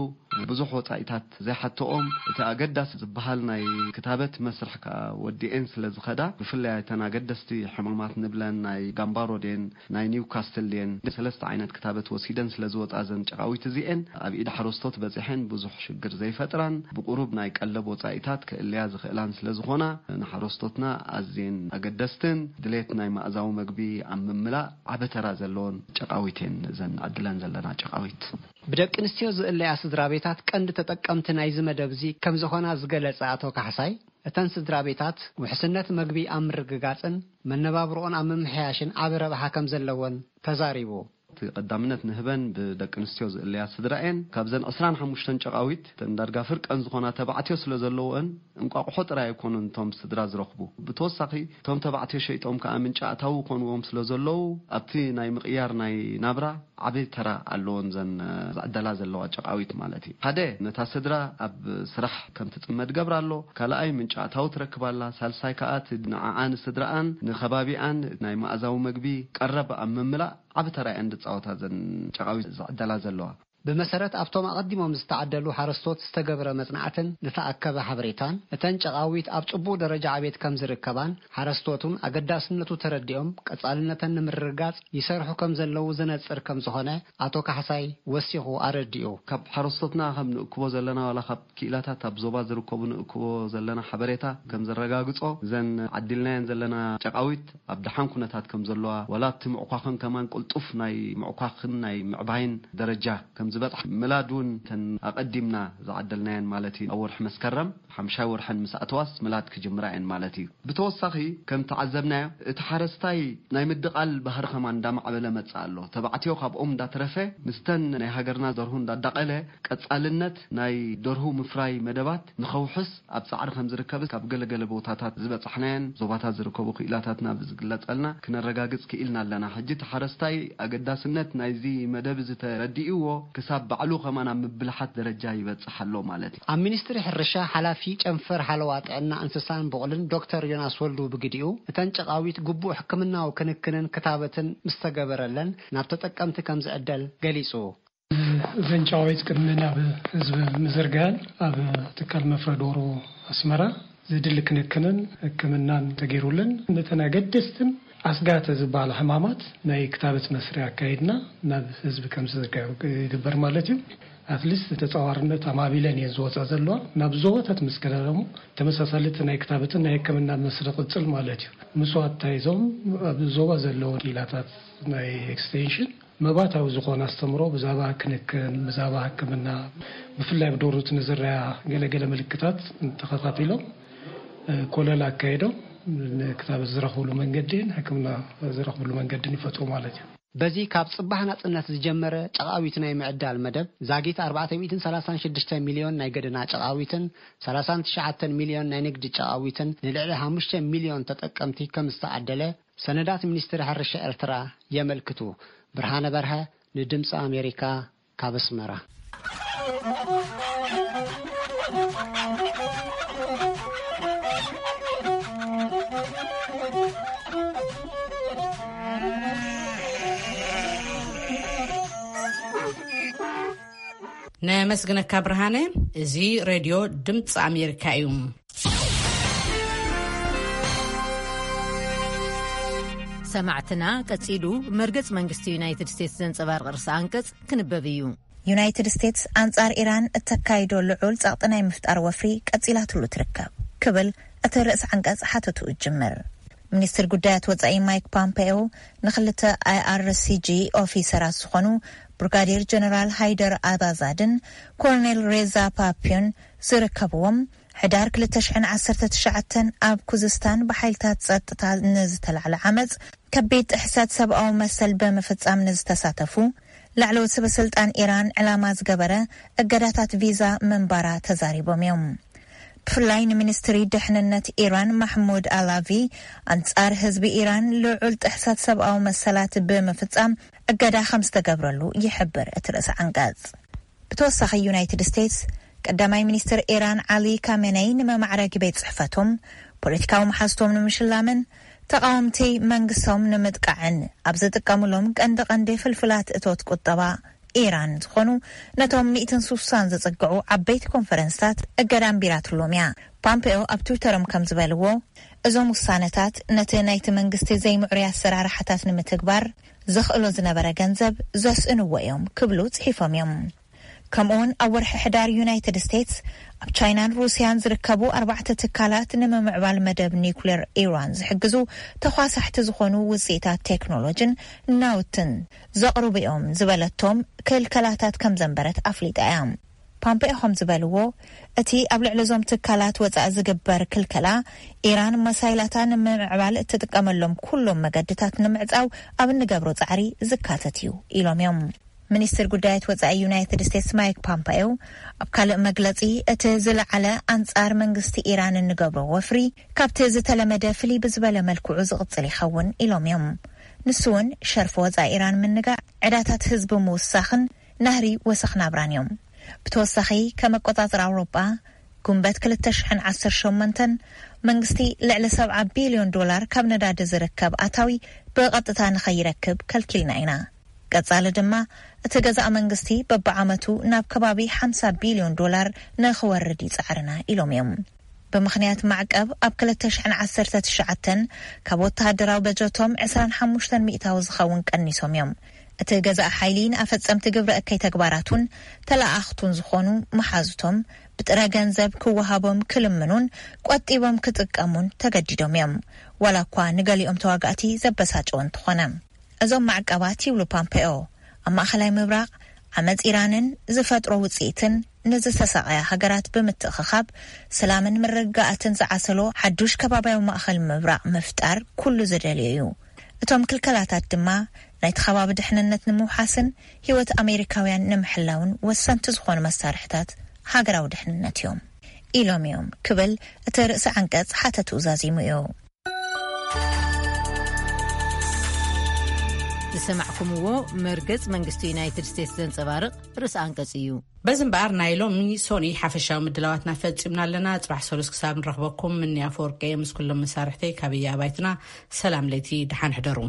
ብዙሕ ወጻኢታት ዘይሓትኦም፣ እቲ ኣገዳሲ ዝበሃል ናይ ክታበት መስርሕ ከኣ ወዲኤን ስለ ዝኸዳ፣ ብፍላይ እተን ኣገደስቲ ሕማማት ንብለን ናይ ጋምባሮ ድየን ናይ ኒውካስትል ድየን ሰለስተ ዓይነት ክታበት ወሲደን ስለ ዝወጻ እዘን ጨቓዊት እዚኤን ኣብ ኢድ ሓረስቶት በጺሐን ብዙሕ ሽግር ዘይፈጥራን ብቁሩብ ናይ ቀለብ ወጻኢታት ክእልያ ዝኽእላን ስለ ዝኾና ንሓረስቶትና ኣዝየን ኣገደስትን ድሌት ናይ መኣዛዊ መግቢ ኣብ ምምላእ ዓቢ ተራ ዘለዎን ጨቓዊት እየን እዘን ንዕድለን ዘለና ጨቓዊት። ብደቂ ኣንስትዮ ዝእለያ ስድራ ቤታት ቀንዲ ተጠቀምቲ ናይዚ መደብ እዚ ከም ዝኾና ዝገለጸ ኣቶ ካሕሳይ፣ እተን ስድራ ቤታት ውሕስነት መግቢ ኣብ ምርግጋጽን መነባብሮኦን ኣብ ምምሕያሽን ዓቢ ረብሓ ከም ዘለወን ተዛሪቡ። እቲ ቀዳምነት ንህበን ብደቂ ኣንስትዮ ዝእለያ ስድራ እየን። ካብዘን ዕስራን ሓሙሽተን ጨቓዊት እተን ዳርጋ ፍርቀን ዝኾና ተባዕትዮ ስለ ዘለዎን እንቋቑሖ ጥራይ ኣይኮኑን እቶም ስድራ ዝረኽቡ። ብተወሳኺ እቶም ተባዕትዮ ሸይጦም ከኣ ምንጪ ኣታዊ ይኾንዎም ስለ ዘለዉ ኣብቲ ናይ ምቕያር ናይ ናብራ ዓቢ ተራ ኣለዎን ዘን ዝዕደላ ዘለዋ ጨቓዊት ማለት እዩ። ሓደ ነታ ስድራ ኣብ ስራሕ ከም ትጽመድ ገብራ ኣሎ። ካልኣይ ምንጪ ኣታዊ ትረክብ ኣላ። ሳልሳይ ከኣ እቲ ንዓኣ ንስድራኣን ንኸባቢኣን ናይ መኣዛዊ መግቢ ቀረብ ኣብ ምምላእ ዓቢ ተራ እየን ዝጻወታ ዘን ጨቓዊት ዝዕደላ ዘለዋ። ብመሰረት ኣብቶም ኣቐዲሞም ዝተዓደሉ ሓረስቶት ዝተገብረ መጽናዕትን ዝተኣከበ ሓበሬታን፣ እተን ጨቓዊት ኣብ ጽቡቕ ደረጃ ዕቤት ከም ዝርከባን ሓረስቶት እውን ኣገዳስነቱ ተረዲኦም ቀጻልነተን ንምርግጋጽ ይሰርሑ ከም ዘለዉ ዘነጽር ከም ዝኾነ ኣቶ ካሕሳይ ወሲኹ ኣረዲኡ። ካብ ሓረስቶትና ከም ንእክቦ ዘለና ዋላ ካብ ክኢላታት ኣብ ዞባ ዝርከቡ ንእክቦ ዘለና ሓበሬታ ከም ዘረጋግጾ፣ እዘን ዓዲልናየን ዘለና ጨቓዊት ኣብ ደሓን ኩነታት ከም ዘለዋ፣ ዋላ ኣብቲ ምዕኳኽን ከማን ቅልጡፍ ናይ ምዕኳኽን ናይ ምዕባይን ደረጃ ከም ዝበጽሓ፣ ምላድ እውን እተን ኣቐዲምና ዝዓደልናየን ማለት እዩ፣ ኣብ ወርሒ መስከረም ሓምሻይ ወርሐን ምስ ኣተዋስ ምላድ ክጅምራ እየን ማለት እዩ። ብተወሳኺ ከም ተዓዘብናዮ፣ እቲ ሓረስታይ ናይ ምድቓል ባህሪ ከማን እንዳማዕበለ መጽእ ኣሎ። ተባዕትዮ ካብኦም እንዳተረፈ፣ ምስተን ናይ ሃገርና ደርሁ እንዳዳቐለ፣ ቀጻልነት ናይ ደርሁ ምፍራይ መደባት ንኸውሕስ ኣብ ጻዕሪ ከም ዝርከብ ካብ ገለገለ ቦታታት ዝበጻሕናየን ዞባታት ዝርከቡ ክኢላታትና ብዝግለጸልና ክነረጋግጽ ክኢልና ኣለና። ሕጂ እቲ ሓረስታይ ኣገዳስነት ናይዚ መደብ እዚ ተረዲእዎ፣ ክሳብ ባዕሉ ከማን ኣብ ምብልሓት ደረጃ ይበጽሕ ኣሎ ማለት እዩ። ኣብ ሚኒስትሪ ሕርሻ ሓላፊ ጨንፈር ሓለዋ ጥዕና እንስሳን ብቑልን ዶክተር ዮናስ ወልዱ ብግዲኡ፣ እተን ጨቓዊት ግቡእ ሕክምናዊ ክንክንን ክታበትን ምስ ተገበረለን ናብ ተጠቀምቲ ከም ዝዕደል ገሊጹ። እዘን ጨቓዊት ቅድሚ ናብ ህዝቢ ምዝርጋን ኣብ ትካል መፍረ ዶሮ ኣስመራ ዝድሊ ክንክንን ሕክምናን ተገይሩለን፣ ነተን ኣገደስትን ኣስጋተ ዝበሃላ ሕማማት ናይ ክታበት መስርያ ኣካይድና ናብ ህዝቢ ከም ዝዝርጋዩ ይግበር ማለት እዩ። ኣትሊስት ተጻዋርነት ኣማቢለን እየን ዝወጻ ዘለዋ። ናብ ዞባታት ምስ ከደ ደግሞ ተመሳሳሊ እቲ ናይ ክታበትን ናይ ሕክምና መስርያ ቅጽል ማለት እዩ። ምስኡ ኣታይዞም ኣብ ዞባ ዘለዉ ክኢላታት ናይ ኤክስቴንሽን መባታዊ ዝኾነ ኣስተምሮ ብዛዕባ ክንክን፣ ብዛዕባ ሕክምና፣ ብፍላይ ኣብ ደርሁት ንዝረኣ ገለገለ ምልክታት ተኸታቲሎም፣ እ፣ ኮለል ኣካይዶም ንክታበት ዝረኽብሉ መንገዲን ሕክምና ዝረኽብሉ መንገዲን ይፈጥሩ ማለት እዩ። በዚ ካብ ጽባሕ ናጽነት ዝጀመረ ጨቓዊት ናይ ምዕዳል መደብ፣ ዛጊት ኣርባዕተ ሚእትን ሰላሳን ሽዱሽተ ሚልዮን ናይ ገደና ጨቓዊትን ሰላሳን ትሽዓተን ሚልዮን ናይ ንግዲ ጨቓዊትን ንልዕሊ ሓሙሽተ ሚልዮን ተጠቀምቲ ከም ዝተዓደለ ሰነዳት ሚኒስትሪ ሕርሻ ኤርትራ የመልክቱ። ብርሃነ በርሀ ንድምፂ ኣሜሪካ ካብ ኣስመራ። ነመስግነካ ብርሃነ። እዚ ሬድዮ ድምፂ ኣሜሪካ እዩ። ሰማዕትና፣ ቀጺሉ መርገጽ መንግስቲ ዩናይትድ ስቴትስ ዘንጸባርቕ ርእሰ ኣንቀጽ ክንበብ እዩ። ዩናይትድ ስቴትስ ኣንጻር ኢራን እተካይዶ ልዑል ጸቕጢ ናይ ምፍጣር ወፍሪ ቀጺላትሉ ትርከብ ክብል እቲ ርእሰ ዓንቀጽ ሓተቱ ይጅምር። ሚኒስትር ጉዳያት ወጻኢ ማይክ ፖምፔዮ ንክልተ ኣይ ኣር ሲ ጂ ኦፊሰራት ዝኾኑ ብርጋዴር ጀነራል ሃይደር ኣባዛድን ኮሎኔል ሬዛ ፓፒዮን ዝርከብዎም፣ ሕዳር ክልተ ሽሕን ዓሰርተ ትሽዓተን ኣብ ኩዝስታን ብሓይልታት ጸጥታ ንዝተላዕለ ዓመጽ ከቢድ ጥሕሰት ሰብኣዊ መሰል ብምፍጻም ንዝተሳተፉ ላዕለዎት ሰበ ስልጣን ኢራን ዕላማ ዝገበረ እገዳታት ቪዛ ምንባራ ተዛሪቦም እዮም። ብፍላይ ንሚኒስትሪ ድሕንነት ኢራን ማሕሙድ ኣላቪ ኣንጻር ህዝቢ ኢራን ልዑል ጥሕሰት ሰብኣዊ መሰላት ብምፍጻም እገዳ ከም ዝተገብረሉ ይሕብር እቲ ርእሰ ዓንቀጽ። ብተወሳኺ ዩናይትድ ስቴትስ ቀዳማይ ሚኒስትር ኢራን ዓሊ ካሜነይ ንመማዕረጊ ቤት ጽሕፈቶም፣ ፖለቲካዊ መሓዝቶም ንምሽላምን ተቓወምቲ መንግስቶም ንምጥቃዕን ኣብ ዝጥቀምሎም ቀንዲ ቀንዲ ፍልፍላት እቶት ቁጠባ ኢራን ዝኾኑ ነቶም ሚእትን ስሳን ዝጽግዑ ዓበይቲ ኮንፈረንስታት እገዳ ኣንቢራትሎም እያ። ፓምፔዮ ኣብ ትዊተሮም ከም ዝበልዎ፣ እዞም ውሳነታት ነቲ ናይቲ መንግስቲ ዘይምዕሩይ ኣሰራርሓታት ንምትግባር ዘኽእሎ ዝነበረ ገንዘብ ዘስእንዎ እዮም ክብሉ ጽሒፎም እዮም። ከምኡውን ኣብ ወርሒ ሕዳር ዩናይትድ ስቴትስ ኣብ ቻይናን ሩስያን ዝርከቡ ኣርባዕተ ትካላት ንምምዕባል መደብ ኒኩሌር ኢራን ዝሕግዙ ተኳሳሕቲ ዝኾኑ ውፅኢታት ቴክኖሎጂን ናውትን ዘቕርቡ እዮም ዝበለቶም ክልከላታት ከም ዘንበረት ኣፍሊጣ እያ። ፓምፔዮ ከም ዝበልዎ፣ እቲ ኣብ ልዕሊ እዞም ትካላት ወጻኢ ዝግበር ክልከላ፣ ኢራን መሳይላታ ንምምዕባል እትጥቀመሎም ኩሎም መገድታት ንምዕጻው ኣብ እንገብሮ ጻዕሪ ዝካተት እዩ ኢሎም እዮም። ሚኒስትር ጉዳያት ወጻኢ ዩናይትድ ስቴትስ ማይክ ፓምፓዮ ኣብ ካልእ መግለጺ፣ እቲ ዝለዓለ ኣንጻር መንግስቲ ኢራን እንገብሮ ወፍሪ ካብቲ ዝተለመደ ፍልይ ብዝበለ መልክዑ ዝቕጽል ይኸውን ኢሎም እዮም። ንሱ እውን ሸርፊ ወጻኢ ኢራን ምንጋዕ፣ ዕዳታት ህዝቢ ምውሳኽን ናህሪ ወሰኽ ናብራን እዮም። ብተወሳኺ፣ ከም ኣቆጻጽራ ኣውሮጳ፣ ጉንበት ክልተ ሽሕን ዓሰርተ ሸሞንተን መንግስቲ ልዕሊ ሰብዓ ቢልዮን ዶላር ካብ ነዳዲ ዝርከብ ኣታዊ ብቐጥታ ንኸይረክብ ከልኪልና ኢና። ቀጻሊ ድማ፣ እቲ ገዛእ መንግስቲ በብዓመቱ ናብ ከባቢ ሓምሳ ቢልዮን ዶላር ንኽወርድ ይጻዕርና ኢሎም እዮም። ብምኽንያት ማዕቀብ ኣብ ክልተ ሽሕን ዓሰርተ ትሽዓተን ካብ ወተሃደራዊ በጀቶም ዕስራን ሓሙሽተን ሚእታዊ ዝኸውን ቀኒሶም እዮም። እቲ ገዛእ ሓይሊ ንኣፈጸምቲ ግብረ እከይ ተግባራቱን ተለኣኣኽቱን ዝኾኑ መሓዙቶም ብጥረ ገንዘብ ክወሃቦም ክልምኑን ቆጢቦም ክጥቀሙን ተገዲዶም እዮም። ዋላ እኳ ንገሊኦም ተዋጋእቲ ዘበሳጨወ እንተኾነ። እዞም ማዕቀባት፣ ይብሉ ፓምፔኦ፣ ኣብ ማእኸላይ ምብራቕ ዓመጽ ኢራንን ዝፈጥሮ ውጽኢትን ንዝተሳቐያ ሃገራት ብምትእኽኻብ፣ ሰላምን ምርግጋኣትን ዝዓሰሎ ሓዱሽ ከባብያዊ ማእኸል ምብራቕ ምፍጣር ኩሉ ዝደልዮ እዩ። እቶም ክልከላታት ድማ ናይቲ ከባቢ ድሕንነት ንምውሓስን ህይወት ኣሜሪካውያን ንምሕላውን ወሰንቲ ዝኾኑ መሳርሕታት ሃገራዊ ድሕንነት እዮም ኢሎም እዮም ክብል እቲ ርእሰ ዓንቀጽ ሓተቱ ዛዚሙ እዩ። ሰማዕኩምዎ፣ መርገጽ መንግስቲ ዩናይትድ ስቴትስ ዘንጸባርቕ ርእሰ ኣንቀጽ እዩ። በዚ እምበኣር፣ ናይ ሎሚ ሶኒ ሓፈሻዊ ምድላዋትና ፈጺምና ኣለና። ጽባሕ ሰሉስ ክሳብ ንረኽበኩም፣ ምኒ ኣፈወርቂ ምስ ኩሎም መሳርሕተይ ካብያ ኣባይትና፣ ሰላም ለይቲ፣ ደሓን ሕደሩ።